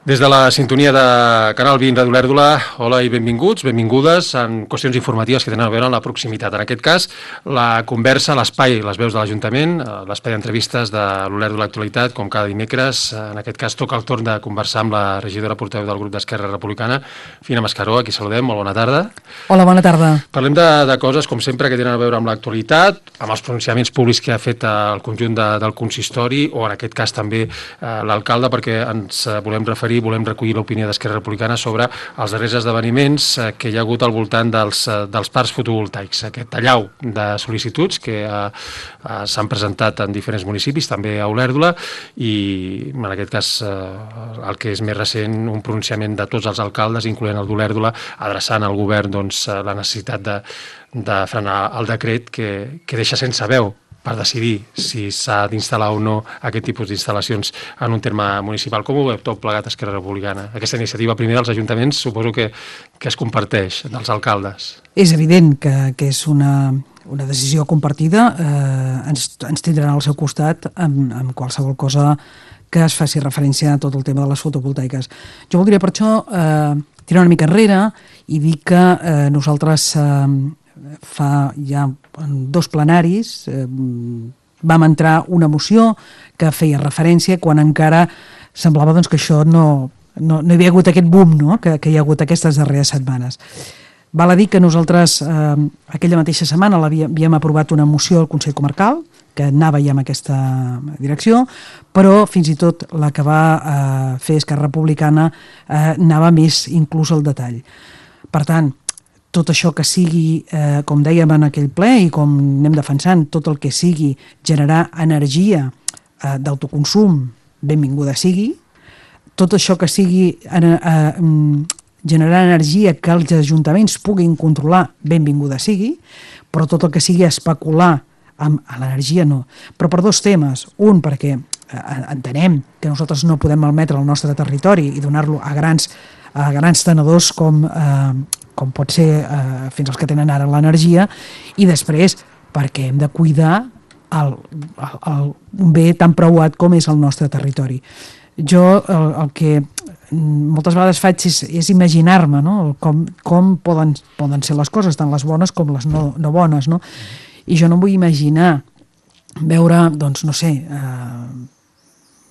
Des de la sintonia de Canal 20 Ràdio Olèrdola, hola i benvinguts, benvingudes en qüestions informatives que tenen a veure amb la proximitat. En aquest cas, la conversa, l'espai, les veus de l'Ajuntament, l'espai d'entrevistes de l'Olèrdola Actualitat, com cada dimecres. En aquest cas toca el torn de conversar amb la regidora portaveu del grup d'Esquerra Republicana, Fina Mascaró, a qui saludem. Molt bona tarda. Hola, bona tarda. Parlem de coses, com sempre, que tenen a veure amb l'actualitat, amb els pronunciaments públics que ha fet el conjunt del consistori, o en aquest cas també l'alcalde, perquè ens volem recollir l'opinió d'Esquerra Republicana sobre els darrers esdeveniments que hi ha hagut al voltant dels parcs fotovoltaics. Aquest allau de sol·licituds que s'han presentat en diferents municipis, també a Olèrdola, i en aquest cas el que és més recent, un pronunciament de tots els alcaldes, incloent el d'Olèrdola, adreçant al govern la necessitat de frenar el decret que deixa sense veu per decidir si s'ha d'instal·lar o no aquest tipus d'instal·lacions en un terme municipal. Com ho veu tot plegat Esquerra Republicana? Aquesta iniciativa primer dels ajuntaments suposo que es comparteix dels alcaldes. És evident que és una decisió compartida. Ens tindran al seu costat amb qualsevol cosa que es faci referència a tot el tema de les fotovoltaiques. Jo voldria per això tirar una mica enrere i dir que nosaltres fa ja dos plenaris vam entrar una moció que feia referència quan encara semblava que això no hi havia hagut aquest boom, no? que hi ha hagut aquestes darreres setmanes. Val a dir que nosaltres aquella mateixa setmana havíem aprovat una moció al Consell Comarcal que anava ja en aquesta direcció, però fins i tot la que va fer Esquerra Republicana anava més inclús al detall. Per tant, tot això que sigui, com dèiem en aquell ple i com anem defensant, tot el que sigui generar energia d'autoconsum, benvinguda sigui. Tot això que sigui generar energia que els ajuntaments puguin controlar, benvinguda sigui, però tot el que sigui especular amb l'energia no. Però per dos temes. Un, perquè entenem que nosaltres no podem malmetre el nostre territori i donar-lo a grans tenedors com pot ser fins als que tenen ara l'energia, i després perquè hem de cuidar un bé tan preuat com és el nostre territori. Jo el que moltes vegades faig és imaginar-me, no? com poden ser les coses, tant les bones com les no bones, no? I jo no em vull imaginar veure, doncs, no sé,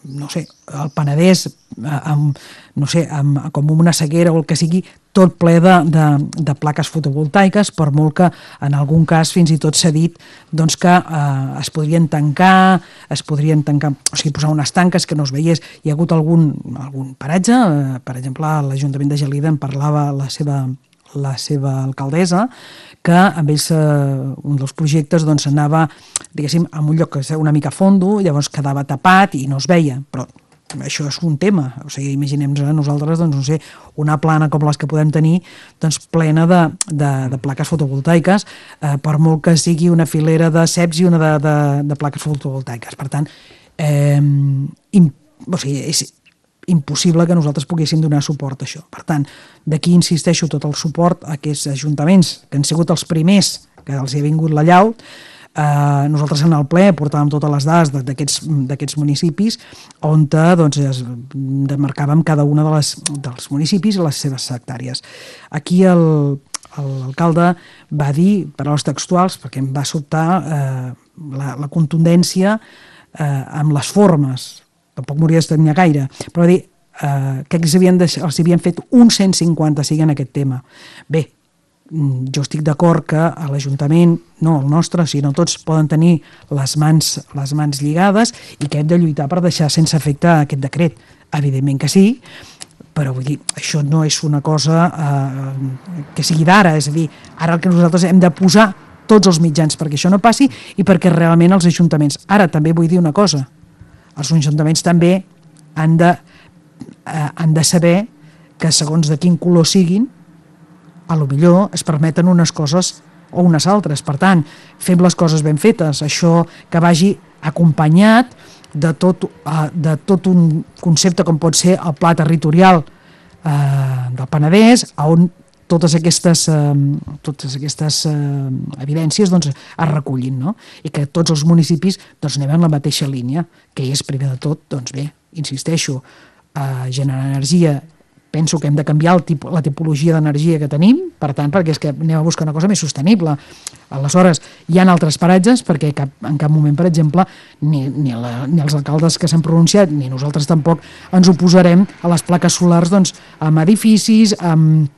el Penedès com una sequera o el que sigui, tot ple de plaques fotovoltaiques, per molt que en algun cas fins i tot s'ha dit doncs, que es podrien tancar, o sigui, posar unes tanques que no es veiés. Hi ha hagut algun paratge, per exemple, l'Ajuntament de Gelida en parlava la seva alcaldessa, que amb ells un dels projectes doncs, anava, diguéssim, en un lloc que és una mica fondo, llavors quedava tapat i no es veia, però això és un tema. O sigui, imaginem-nos a nosaltres, doncs, no sé, una plana com les que podem tenir, doncs, plena de plaques fotovoltaiques, per molt que sigui una filera de ceps i una de plaques fotovoltaiques. Per tant, o sigui, és impossible que nosaltres poguéssim donar suport a això. Per tant, d'aquí insisteixo tot el suport a aquests ajuntaments que han sigut els primers que els hi ha vingut la llau. Nosaltres en el ple portàvem totes les dades d'aquests municipis on doncs, demarcàvem cada un dels municipis i les seves hectàrees. Aquí l'alcalde va dir, paraules textuals, perquè em va sobtar la contundència amb les formes. Tampoc m'hauria d'estanyar gaire, però va dir que els havien fet un 155 en aquest tema. Bé, jo estic d'acord que a l'Ajuntament, no el nostre, sinó tots poden tenir les mans lligades i que hem de lluitar per deixar sense efecte aquest decret. Evidentment que sí, però vull dir, això no és una cosa que sigui d'ara, és a dir, ara el que nosaltres hem de posar tots els mitjans perquè això no passi i perquè realment els ajuntaments... Ara també vull dir una cosa, els ajuntaments també han de saber que segons de quin color siguin, a lo millor es permeten unes coses o unes altres. Per tant, fem les coses ben fetes, això que vagi acompanyat de tot un concepte com pot ser el pla territorial del Penedès, on totes aquestes evidències doncs, es recullin, no? I que tots els municipis doncs, anem en la mateixa línia, que és, primer de tot, doncs bé, insisteixo, generar energia, penso que hem de canviar la tipologia d'energia que tenim, per tant, perquè és que anem a buscar una cosa més sostenible. Aleshores, hi ha altres paratges, perquè en cap moment, per exemple, ni els alcaldes que s'han pronunciat, ni nosaltres tampoc ens oposarem a les plaques solars amb edificis, amb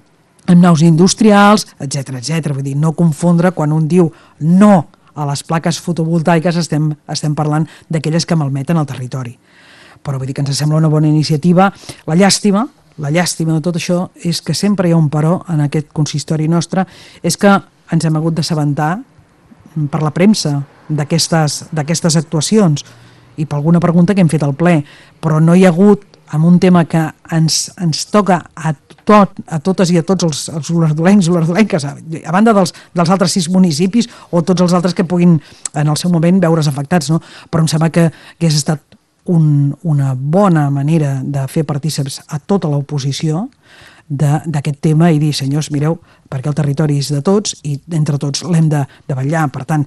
naus industrials, etc. Vull dir, no confondre quan un diu no a les plaques fotovoltaiques estem parlant d'aquelles que malmeten el territori. Però vull dir que ens sembla una bona iniciativa. La llàstima de tot això és que sempre hi ha un però en aquest consistori nostre, és que ens hem hagut d'assabentar per la premsa d'aquestes actuacions i per alguna pregunta que hem fet al ple, però no hi ha hagut, amb un tema que ens toca a totes i a tots els olordolencs, a banda dels altres 6 municipis o tots els altres que puguin en el seu moment veure's afectats, no? Però em sembla que hagués estat una bona manera de fer partícips a tota l'oposició d'aquest tema i dir, senyors, mireu, perquè el territori és de tots i entre tots l'hem de vetllar. Per tant,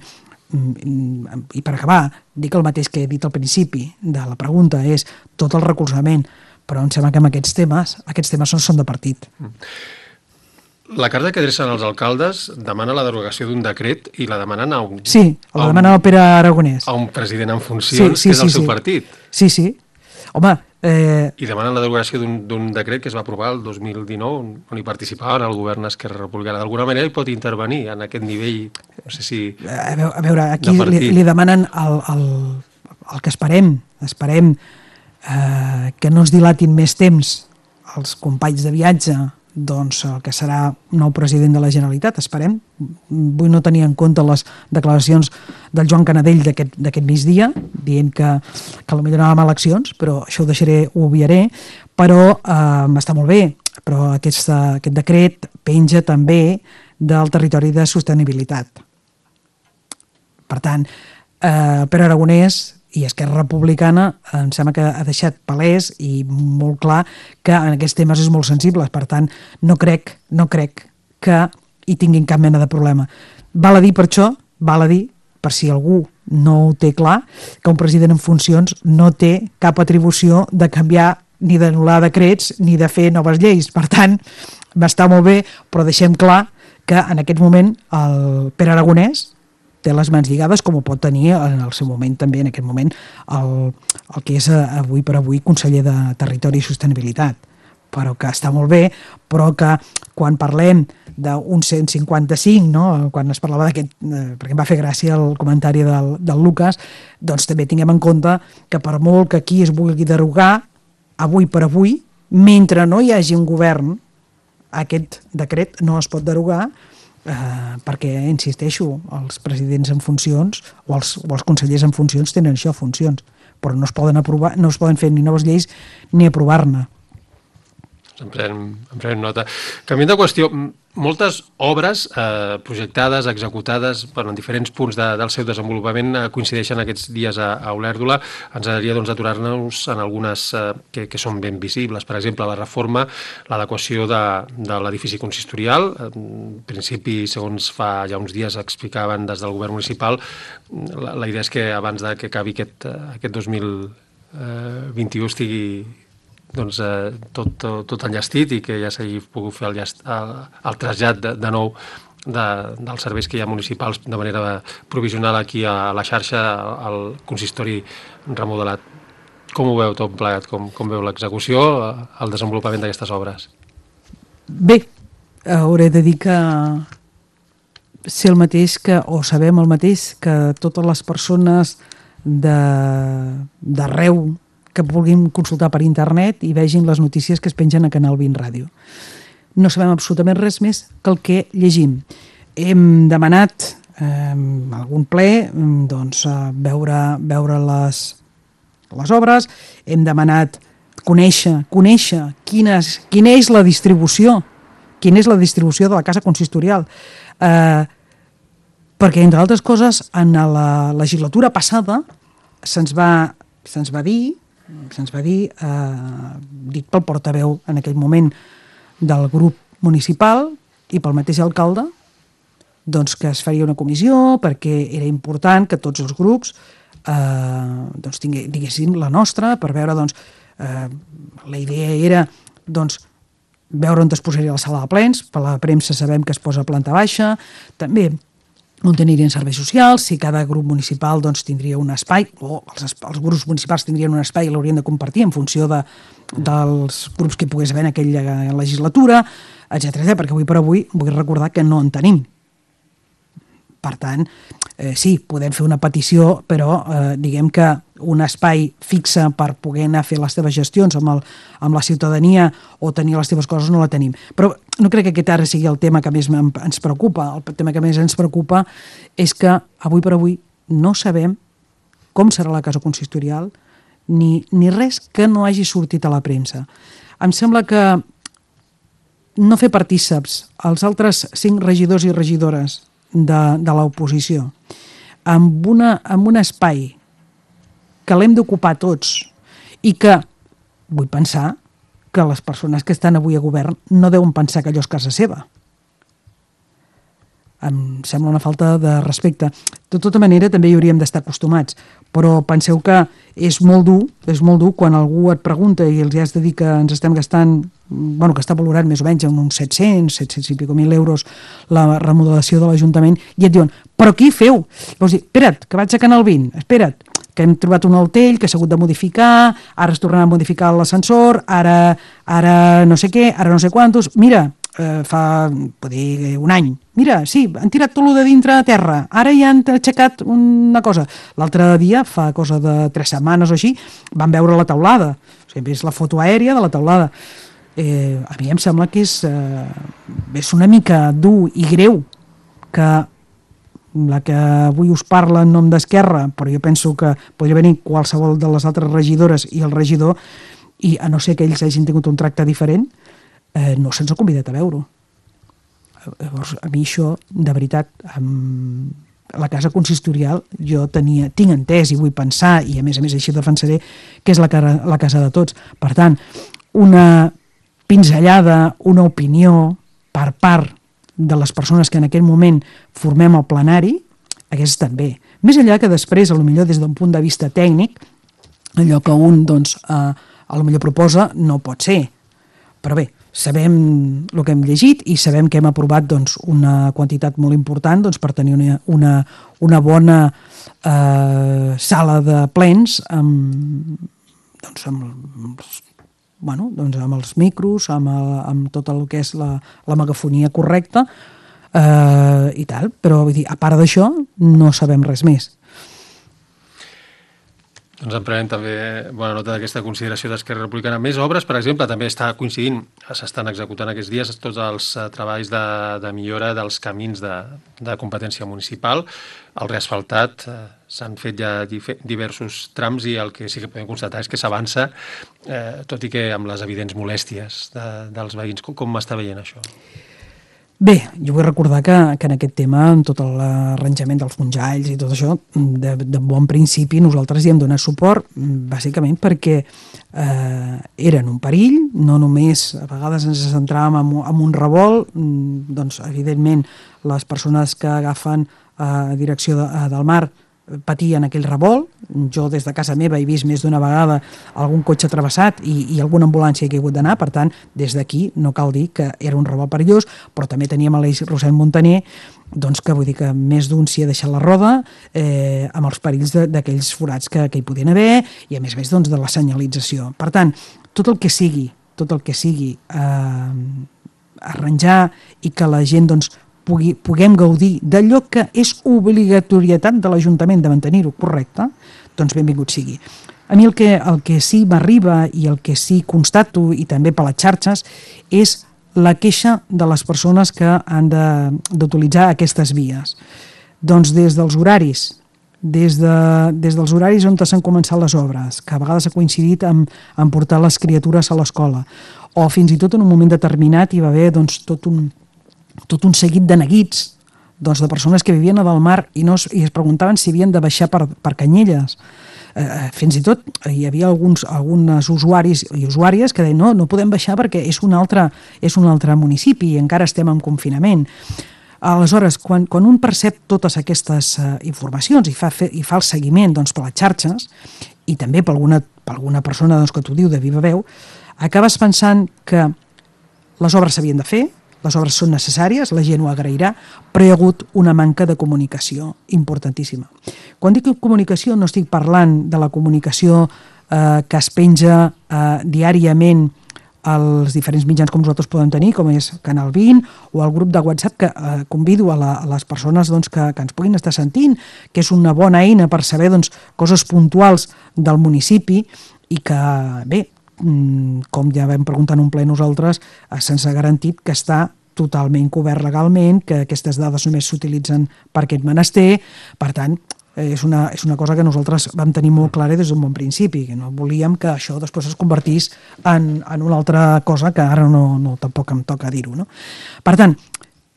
i per acabar, dic el mateix que he dit al principi de la pregunta, és tot el recolzament, però em sembla que amb aquests temes no són de partit. La carta que adrecen als alcaldes demana la derogació d'un decret i la demanen a un... Sí, la demana el Pere Aragonès. A un president en funcions, que és el seu partit. Sí. Home... I demanen la derogació d'un decret que es va aprovar el 2019, on hi participaven el govern Esquerra Republicana. D'alguna manera hi pot intervenir en aquest nivell, no sé si... A veure, aquí li demanen el que esperem que no es dilatin més temps els companys de viatge, doncs el que serà nou president de la Generalitat, esperem. Vull no tenir en compte les declaracions del Joan Canadell d'aquest migdia, dient que potser anàvem a eleccions, però això ho obviaré, però està molt bé, però aquest decret penja també del territori de sostenibilitat. Per tant, Pere Aragonès i Esquerra Republicana em sembla que ha deixat palès i molt clar que en aquests temes és molt sensibles, per tant no crec que hi tinguin cap mena de problema. Val a dir per això, per si algú no ho té clar, que un president en funcions no té cap atribució de canviar ni d'anul·lar decrets ni de fer noves lleis. Per tant, m'està molt bé, però deixem clar que en aquest moment el Pere Aragonès té les mans lligades, com ho pot tenir en el seu moment també, en aquest moment, el que és avui per avui conseller de Territori i Sostenibilitat. Però que està molt bé, però que quan parlem d'un 155, no? Quan es parlava d'aquest, perquè em va fer gràcia el comentari del Lucas, doncs també tinguem en compte que per molt que aquí es vulgui derogar, avui per avui, mentre no hi hagi un govern, aquest decret no es pot derogar, perquè, insisteixo, els presidents en funcions o els consellers en funcions tenen això, funcions, però no es poden fer ni noves lleis ni aprovar-ne. En prenem nota. Canviant de qüestió, moltes obres projectades, executades en diferents punts del seu desenvolupament coincideixen aquests dies a Olèrdola. Ens agradaria aturar-nos en algunes que són ben visibles. Per exemple, la reforma, l'adequació de l'edifici consistorial. En principi, segons fa ja uns dies explicaven des del govern municipal, la idea és que abans que acabi aquest 2021 estigui tot enllestit i que ja s'hagi pogut fer el trasllat de nou dels serveis que hi ha municipals de manera provisional aquí a la xarxa, al consistori remodelat. Com ho veu tot plegat? Com veu l'execució, el desenvolupament d'aquestes obres? Bé, hauré de dir que sé el mateix o sabem el mateix que totes les persones d'arreu que vulguin consultar per internet i vegin les notícies que es pengen a Canal 20 Ràdio. No sabem absolutament res més que el que llegim. Hem demanat algun ple veure les obres, hem demanat conèixer quina és la distribució de la casa consistorial, perquè, entre altres coses, en la legislatura passada se'ns va dir, dit pel portaveu en aquell moment del grup municipal i pel mateix alcalde, doncs que es faria una comissió perquè era important que tots els grups diguéssim la nostra, per veure La idea era, doncs, veure on es posaria la sala de plens. Per la premsa sabem que es posa a planta baixa, també on tenirien serveis socials, si cada grup municipal doncs, tindria un espai, o els grups municipals tindrien un espai i l'haurien de compartir en funció dels grups que hi pogués haver en aquella legislatura, etcètera, perquè avui per avui vull recordar que no en tenim. Per tant, sí, podem fer una petició, però diguem que un espai fixe per poder anar a fer les teves gestions amb la ciutadania o tenir les teves coses no la tenim. Però no crec que aquest ara sigui el tema que més ens preocupa. El tema que més ens preocupa és que avui per avui no sabem com serà la casa consistorial ni res que no hagi sortit a la premsa. Em sembla que no fer partíceps els altres 5 regidors i regidores de l'oposició amb un espai que l'hem d'ocupar tots i que vull pensar que les persones que estan avui a govern no deuen pensar que allò és casa seva. Em sembla una falta de respecte. De tota manera, també hi hauríem d'estar acostumats, però penseu que és molt dur quan algú et pregunta i els has de dir que ens estem gastant, bueno, que està valorat més o menys en uns 700 i pico mil euros la remodelació de l'Ajuntament, i et diuen, però qui feu? Vols dir, espera't, que vaig a Canal 20, espera't, que hem trobat un altell que s'ha hagut de modificar, ara es tornarà a modificar l'ascensor, ara no sé què, ara no sé quantos, mira, fa, pot dir, un any. Mira, sí, han tirat tot lo de dintre a terra, ara ja han aixecat una cosa. L'altre dia, fa cosa de 3 setmanes o així, van veure la teulada. O sigui, és la foto aèria de la teulada. A mi em sembla que és una mica dur i greu que la que avui us parla en nom d'Esquerra, però jo penso que podria venir qualsevol de les altres regidores i el regidor, i a no ser que ells hagin tingut un tracte diferent, no se'ns ha convidat a veure-ho. Llavors, a mi això, de veritat, amb la casa consistorial jo tinc entès i vull pensar, i a més així defensaré, que és la casa de tots. Per tant, una pinzellada, una opinió per part de les persones que en aquell moment formem el plenari, hagués estat bé. Més enllà que després, potser des d'un punt de vista tècnic, allò que un potser proposa no pot ser. Però bé, sabem el que hem llegit i sabem que hem aprovat una quantitat molt important per tenir una bona sala de plens amb els micros, amb tot el que és la megafonia correcta i tal, però vull dir, a part d'això no sabem res més. Doncs en prenem també bona nota d'aquesta consideració d'Esquerra Republicana. Més obres, per exemple, també està coincidint, s'estan executant aquests dies tots els treballs de millora dels camins de competència municipal. El reasfaltat, s'han fet ja diversos trams i el que sí que podem constatar és que s'avança, tot i que amb les evidents molèsties dels veïns. Com està veient això? Bé, jo vull recordar que en aquest tema, en tot l'arranjament dels fonjalls i tot això, de bon principi nosaltres hi hem donat suport, bàsicament perquè eren un perill, no només a vegades ens centràvem en un revolt, doncs evidentment les persones que agafen direcció del mar patien aquell revolt. Jo des de casa meva he vist més d'una vegada algun cotxe travessat i alguna ambulància que he hagut d'anar, per tant, des d'aquí no cal dir que era un revolt perillós, però també teníem a l'eix Rossell Montaner, doncs que vull dir que més d'un s'hi ha deixat la roda amb els perills d'aquells forats que hi podien haver i a més doncs de la senyalització. Per tant, tot el que sigui arranjar i que la gent doncs puguem gaudir d'allò que és obligatorietat de l'Ajuntament de mantenir-ho correcte, doncs benvingut sigui. A mi el que sí m'arriba i el que sí constato, i també per les xarxes, és la queixa de les persones que han d'utilitzar aquestes vies. Doncs des dels horaris, des dels horaris on s'han començat les obres, que a vegades ha coincidit en portar les criatures a l'escola, o fins i tot en un moment determinat hi va haver tot un seguit de neguits de persones que vivien a Dalmar i es preguntaven si havien de baixar per Canyelles. Fins i tot hi havia alguns usuaris i usuàries que deien no podem baixar perquè és un altre municipi i encara estem en confinament. Aleshores, quan un percep totes aquestes informacions i fa el seguiment per les xarxes i també per per alguna persona doncs, que t'ho diu de viva veu, acabes pensant que les obres s'havien de fer, les obres són necessàries, la gent ho agrairà, però hi ha hagut una manca de comunicació importantíssima. Quan dic comunicació no estic parlant de la comunicació que es penja diàriament als diferents mitjans com nosaltres podem tenir, com és Canal 20 o el grup de WhatsApp, que convido a les persones doncs, que ens puguin estar sentint, que és una bona eina per saber doncs, coses puntuals del municipi i que, bé, com ja vam preguntar en un ple nosaltres, se'ns ha garantit que està totalment cobert legalment, que aquestes dades només s'utilitzen per aquest menester. Per tant, és una cosa que nosaltres vam tenir molt clara des d'un bon principi, que no volíem que això després es convertís en una altra cosa que ara no tampoc em toca dir-ho. No? Per tant,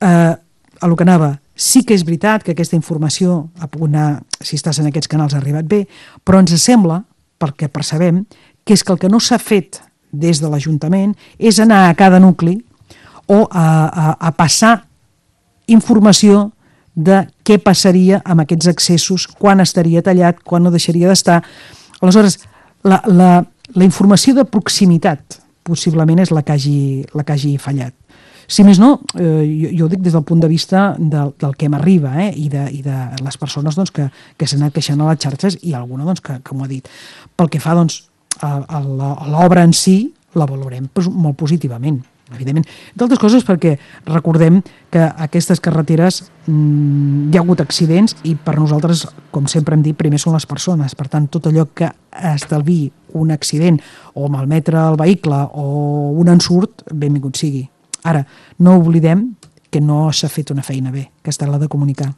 a lo que anava, sí que és veritat que aquesta informació ha pogut anar, si estàs en aquests canals, ha arribat bé, però ens sembla, pel que percebem, que és que el que no s'ha fet des de l'Ajuntament és anar a cada nucli o a passar informació de què passaria amb aquests accessos, quan estaria tallat, quan no deixaria d'estar. Aleshores, la informació de proximitat possiblement és la que hagi fallat. Si més no, jo ho dic des del punt de vista del que m'arriba i de les persones doncs, que s'han anat queixant a les xarxes i alguna doncs, que m'ho ha dit. Pel que fa doncs, a l'obra en si, la valorem molt positivament, evidentment. D'altres coses perquè recordem que aquestes carreteres hi ha hagut accidents i per nosaltres, com sempre hem dit, primer són les persones. Per tant, tot allò que estalviï un accident o malmetre el vehicle o un ensurt, benvingut sigui. Ara, no oblidem que no s'ha fet una feina bé, que ha estat la de comunicar.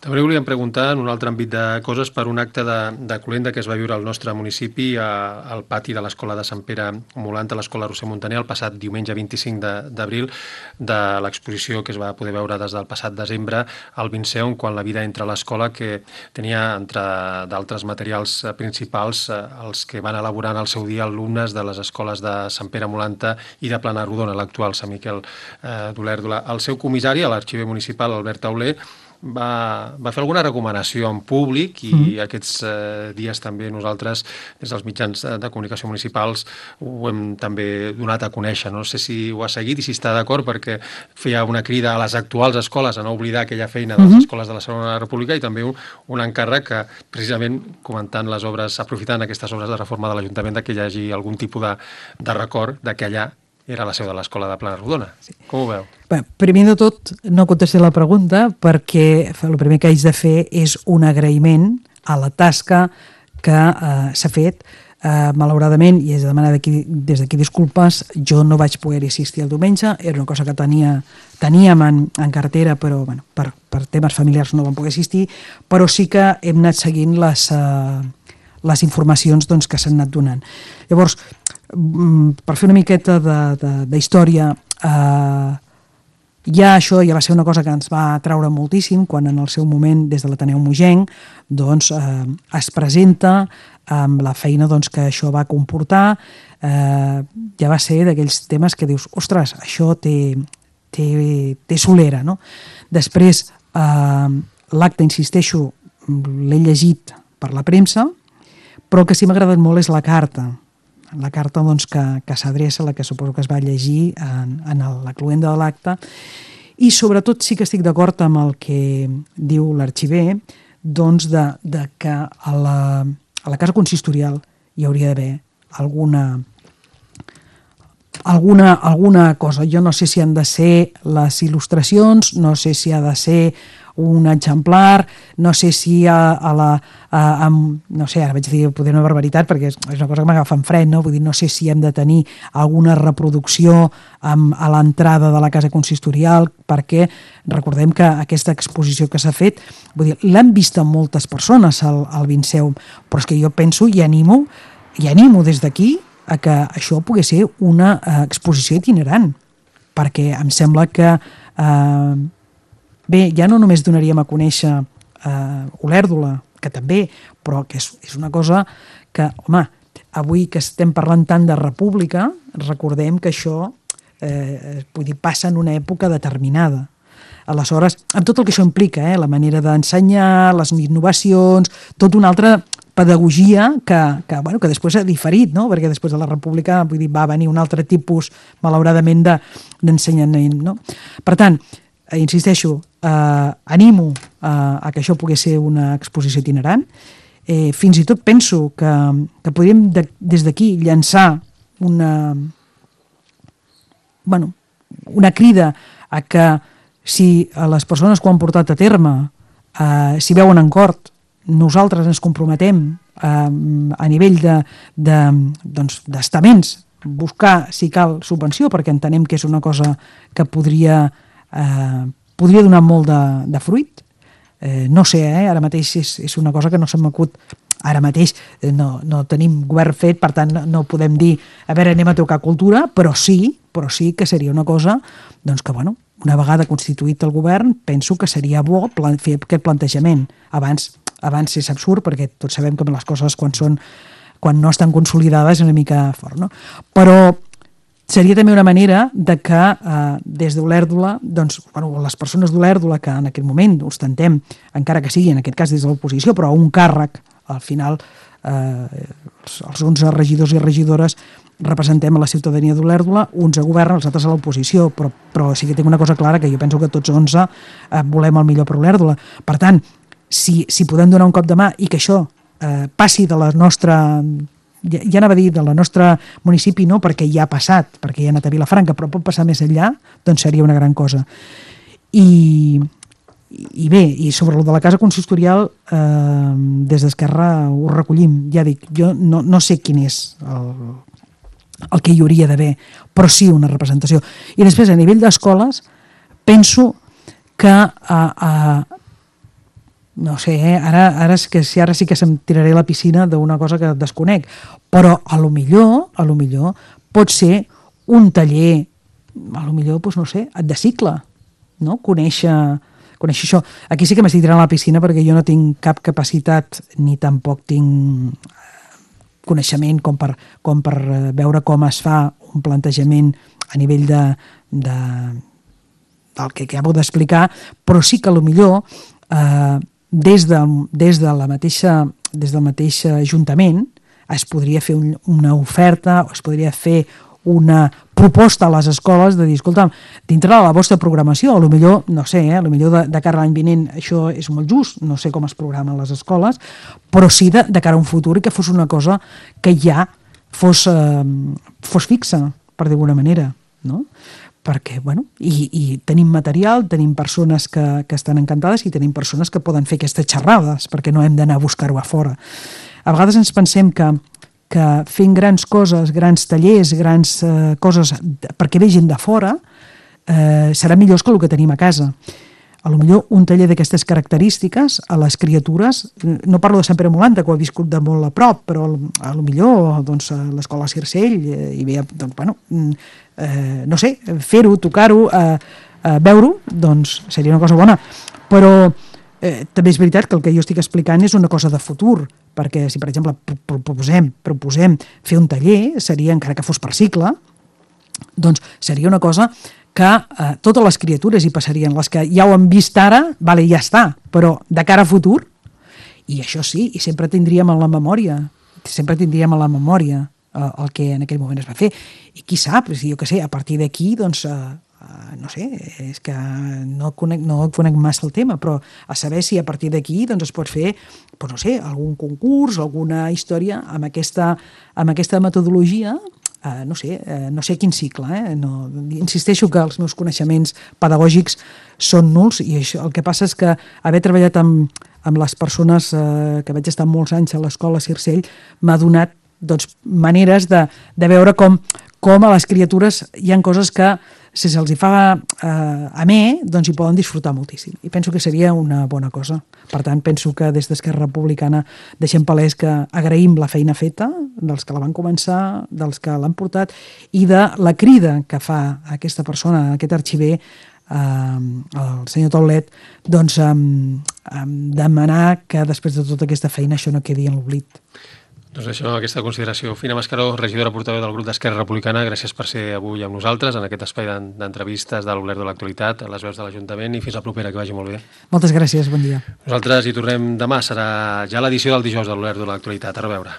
També volíem preguntar en un altre àmbit de coses per un acte de cloenda que es va viure al nostre municipi al pati de l'Escola de Sant Pere Molant, a l'Escola Roser Montaner, el passat diumenge 25 d'abril, de l'exposició que es va poder veure des del passat desembre al Vinceon, quan la vida entra a l'escola, que tenia, entre d'altres materials principals, els que van elaborar en el seu dia alumnes de les escoles de Sant Pere Molanta i de Plana-Rodona, l'actual Sant Miquel d'Olèrdola. El seu comissari, l'arxiver municipal, Albert Tauler, va fer alguna recomanació en públic i aquests dies també nosaltres, des dels mitjans de comunicació municipals, ho hem també donat a conèixer. No sé si ho ha seguit i si està d'acord, perquè feia una crida a les actuals escoles a no oblidar aquella feina de les escoles de la Segona República i també un encàrrec que, precisament, comentant les obres, aprofitant aquestes obres de reforma de l'Ajuntament, que hi hagi algun tipus de record d'aquella era la seu de l'Escola de Plana-Rodona. Sí. Com ho veu? Bé, primer de tot, no contestaré la pregunta perquè el primer que haig de fer és un agraïment a la tasca que s'ha fet. Malauradament, i és de demanar des d'aquí disculpes, jo no vaig poder assistir el diumenge, era una cosa que teníem en cartera, però bueno, per temes familiars no vam poder assistir, però sí que hem anat seguint les informacions doncs, que s'han anat donant. Llavors, per fer una miqueta d'història, això ja va ser una cosa que ens va atraure moltíssim quan en el seu moment des de l'Ateneu Mogenc doncs, es presenta amb la feina doncs, que això va comportar. Ja va ser d'aquells temes que dius, ostres, això té solera, no? Després, l'acte, insisteixo, l'he llegit per la premsa, però el que sí m'ha agradat molt és la carta doncs, que s'adreça, la que suposo que es va llegir en la cloenda de l'acte, i sobretot sí que estic d'acord amb el que diu l'arxiver, doncs de que a la casa consistorial hi hauria d'haver alguna cosa. Jo no sé si han de ser les il·lustracions, no sé si ha de ser un exemplar, no sé si no sé, ara vaig dir poder una barbaritat perquè és una cosa que m'agafa en fred, no? Vull dir, no sé si hem de tenir alguna reproducció a l'entrada de la casa consistorial, perquè recordem que aquesta exposició que s'ha fet, vull dir, l'han vist moltes persones al Vinceum, però és que jo penso i animo des d'aquí a que això pugui ser una exposició itinerant, perquè em sembla que bé, ja no només donaríem a conèixer Olèrdola, que també, però que és una cosa que, home, avui que estem parlant tant de república, recordem que això passa en una època determinada. Aleshores, amb tot el que això implica, la manera d'ensenyar, les innovacions, tot un altre pedagogia que després ha diferit, no? Perquè després de la República va venir un altre tipus, malauradament, d'ensenyament. No? Per tant, insisteixo, animo a que això pogués ser una exposició itinerant. Fins i tot penso que podríem des d'aquí llançar una crida a que si les persones que ho han portat a terme s'hi veuen en cort, nosaltres ens comprometem a nivell d'estaments buscar, si cal, subvenció, perquè entenem que és una cosa que podria donar molt de fruit. No sé, ara mateix és una cosa que no se m'acut. Ara mateix no tenim govern fet, per tant no podem dir a veure, anem a tocar cultura, però sí que seria una cosa doncs que, una vegada constituït el govern, penso que seria bo fer aquest plantejament. Abans és absurd, perquè tots sabem que les coses quan no estan consolidades és una mica fort, no? Però seria també una manera de que des d'Olèrdola, les persones d'Olèrdola que en aquest moment ostentem, encara que sigui en aquest cas des de l'oposició, però un càrrec, al final els 11 regidors i regidores representem a la ciutadania d'Olèrdola, uns a govern, els altres a l'oposició, però sí que tinc una cosa clara, que jo penso que tots 11 volem el millor per Olèrdola. Per tant, si podem donar un cop de mà i que això passi de la nostra, ja anava a dir de la nostra municipi, no perquè ja ha passat, perquè ja ha anat a Vilafranca, però pot passar més enllà, doncs seria una gran cosa. I bé, i sobre el de la casa consistorial, des d'Esquerra ho recollim. Ja dic, jo no sé quin és el que hi hauria d'haver, però sí una representació. I després, a nivell d'escoles, penso que no sé, ara sí que se'm tiraré a la piscina d'una cosa que desconec, però a lo millor pot ser un taller, a lo millor, doncs no sé, de cicle, no? Conèixer això. Aquí sí que m'estic tirant a la piscina perquè jo no tinc cap capacitat ni tampoc tinc coneixement com per veure com es fa un plantejament a nivell del que acabo d'explicar, però sí que potser des del mateix ajuntament es podria fer una oferta o es podria fer una proposta a les escoles de dir, escolta, dintre de la vostra programació, potser, no sé, potser de cara a l'any vinent això és molt just, no sé com es programen les escoles, però sí de cara a un futur i que fos una cosa que ja fos fixa, per dir d'alguna manera, no? Perquè, i tenim material, tenim persones que estan encantades i tenim persones que poden fer aquestes xerrades, perquè no hem d'anar a buscar-ho a fora. A vegades ens pensem que fent grans coses, grans tallers, grans coses perquè ve gent de fora, serà millor que el que tenim a casa. Potser un taller d'aquestes característiques a les criatures, no parlo de Sant Pere Molanta, que ho he viscut de molt a prop, però potser a l'escola Circell hi ve, no sé, fer-ho, tocar-ho, veure-ho, doncs seria una cosa bona. Però també és veritat que el que jo estic explicant és una cosa de futur, perquè si, per exemple, proposem fer un taller, seria, encara que fos per cicle, doncs seria una cosa que totes les criatures hi passarien, les que ja ho han vist ara, ja està, però de cara a futur, i això sí, i sempre tindríem a la memòria el que en aquell moment es va fer. I qui sap, jo què sé, a partir d'aquí, doncs, no sé, és que no conec massa el tema, però a saber si a partir d'aquí doncs es pot fer, no sé, algun concurs, alguna història amb aquesta metodologia, no sé quin cicle, insisteixo que els meus coneixements pedagògics són nuls i això, el que passa és que haver treballat amb les persones que vaig estar molts anys a l'escola Circell m'ha donat maneres de veure com a les criatures hi ha coses que si se'ls hi fa amè, doncs hi poden disfrutar moltíssim. I penso que seria una bona cosa. Per tant, penso que des d'Esquerra Republicana deixem palès que agraïm la feina feta dels que la van començar, dels que l'han portat i de la crida que fa aquesta persona, aquest arxiver, el senyor Taulet, doncs demanar que després de tota aquesta feina això no quedi en l'oblit. Doncs això, aquesta consideració. Fina Mascaró, regidora portaveu del grup d'Esquerra Republicana, gràcies per ser avui amb nosaltres en aquest espai d'entrevistes de l'Obler de l'Actualitat, a les veus de l'Ajuntament, i fins la propera, que vagi molt bé. Moltes gràcies, bon dia. Nosaltres hi tornem demà, serà ja l'edició del dijous de l'Obler de l'Actualitat. A reveure.